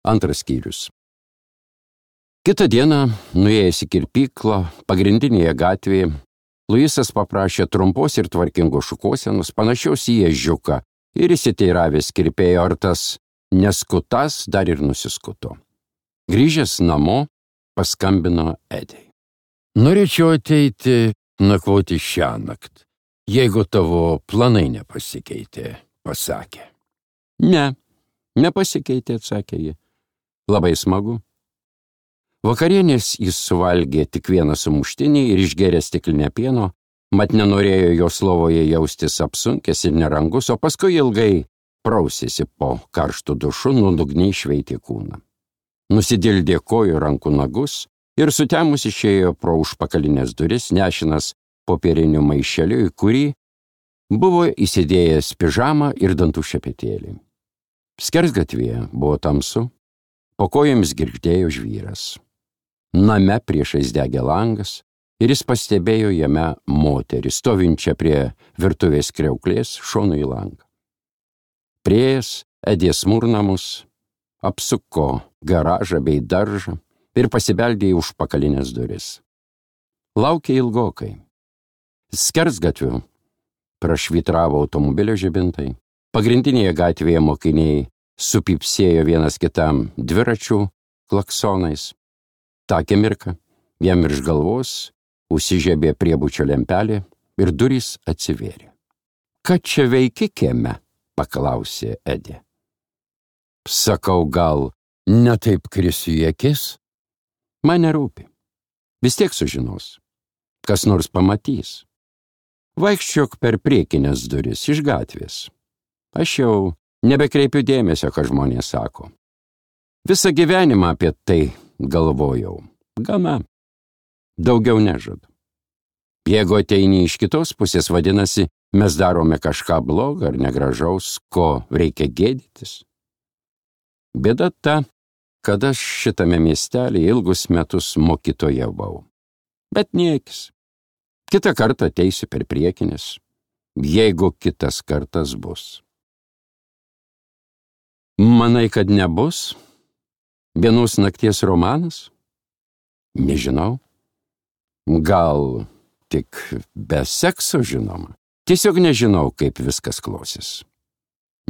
Antras skyrius. Kitą dieną, nuėjęs į kirpyklą, pagrindinėje gatvėje, Luisas paprašė trumpos ir tvarkingos šukuosenos, panašios į ežiuką, ir įsiteiravęs kirpėjo, ar tas neskutas dar ir nusiskuto. Grįžęs namo, paskambino Edei. Norėčiau ateiti nakvoti šiąnakt, jeigu tavo planai nepasikeitė, pasakė. Ne, nepasikeitė, atsakė ji. Labai smagu. Vakarienės jis suvalgė tik vieną sumuštinį ir išgėrė stiklinę pieno, mat nenorėjo jos lovoje jaustis apsunkęs ir nerangus, o paskui ilgai prausėsi po karštų dušu, nuodugniai šveitė kūną. Nusidildė kojų rankų nagus ir sutemus išėjo pro užpakalinės duris, nešinas popieriniu maišeliu, į kurį buvo įsidėjęs pižamą ir dantų šepetėlį. Skersgatvėje buvo tamsu, po kojomis girgždėjo žvyras. Name priešais degė langas ir jis pastebėjo jame moterį, stovinčią prie virtuvės kriauklės šonu į langą. Priėjęs Edė smurnamus, apsuko garažą bei daržą ir pasibeldė į užpakalinės duris. Laukė ilgokai. Skersgatviu prašvytravo automobilio žibintai. Pagrindinėje gatvėje mokiniai supypsėjo vienas kitam dviračių klaksonais. Ta akimirka jam virš galvos užsižiebė priebučio lempelė ir durys atsivėrė. Ką čia veiki kieme? Paklausė Edė. Sakau, gal ne taip krisiu į akis? Man nerūpi. Vis tiek sužinos. Kas nors pamatys. Vaikščiok per priekinės duris iš gatvės. Aš jau nebekreipiu dėmesio, ką žmonės sako. Visą gyvenimą apie tai galvojau. Gana. Daugiau nežadu. Jeigu ateini iš kitos pusės, vadinasi, mes darome kažką blogą ar negražaus, ko reikia gėdytis. Bėda ta, kad aš šitame miestelėje ilgus metus mokytojavau. Bet niekis. Kitą kartą ateisiu per priekinės, jeigu kitas kartas bus. Manai, kad nebus? Vienos nakties romanas? Nežinau. Gal tik be sekso, žinoma. Tiesiog nežinau, kaip viskas klosis.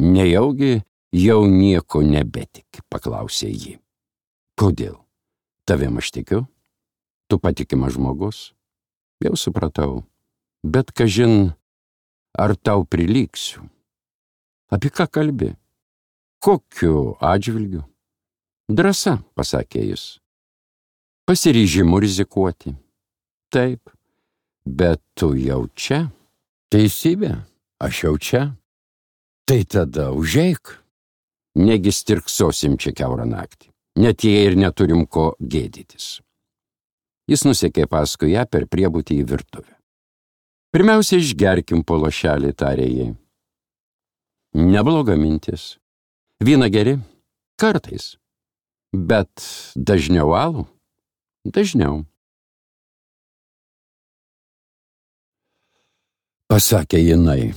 Nejaugi jau nieko nebetiki, paklausė ji. Kodėl? Tavim aš tikiu? Tu patikimas žmogus? Jau supratau. Bet kažin, ar tau prilyksiu? Apie ką kalbi? Kokiu atžvilgiu? Drąsa, pasakė jis. Pasiryžimu rizikuoti. Taip, bet tu jau čia. Teisybė, aš jau čia. Tai tada užeik. Negi stirksosim čia kiaurą naktį. Net jei ir neturim ko gėdytis. Jis nusekė paskui ją per priebutį į virtuvę. Pirmiausia, išgerkim po lašelį, tarė jai. Nebloga mintis. Vyną geri? Kartais. Bet dažniau alų? Dažniau. Pasakė jinai.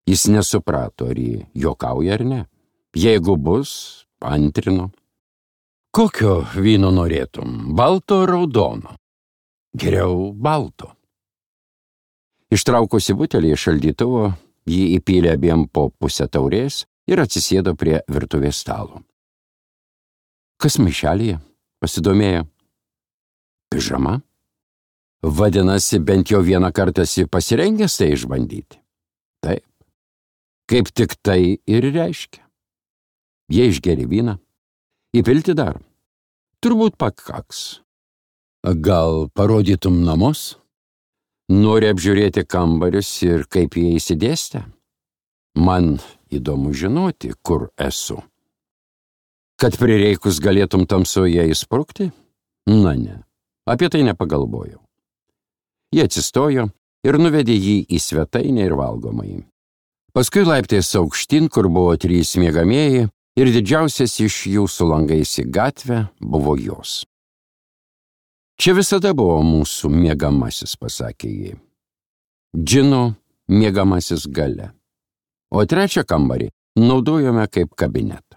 Jis nesuprato, ar ji juokauja ar ne. Jeigu bus, antrino. Kokio vyno norėtum? Balto ar raudono? Geriau balto. Ištraukusi butelį iš šaldytuvo, jį įpylė abiem po pusę taurės ir atsisėdo prie virtuvės stalo. Kas maišelyje? Pasidomėjo. Pižama? Vadinasi, bent jau vieną kartą esi pasirengęs tai išbandyti. Taip. Kaip tik tai ir reiškia. Jie išgeri vyną. Įpilti dar. Turbūt pakaks. Gal parodytum namus? Nori apžiūrėti kambarius ir kaip jie įsidėstę? Man įdomu žinoti, kur esu. Kad prireikus galėtum tamsoje įsprukti? Na ne, apie tai nepagalvojau. Jie atsistojo ir nuvedė jį į svetainę ir valgomąjį. Paskui laiptais aukštyn, kur buvo 3 miegamieji, ir didžiausias iš jų su langais į gatvę buvo jos. Čia visada buvo mūsų miegamasis, pasakė ji. Džino miegamasis gale. O trečią kambarį naudojome kaip kabinetą.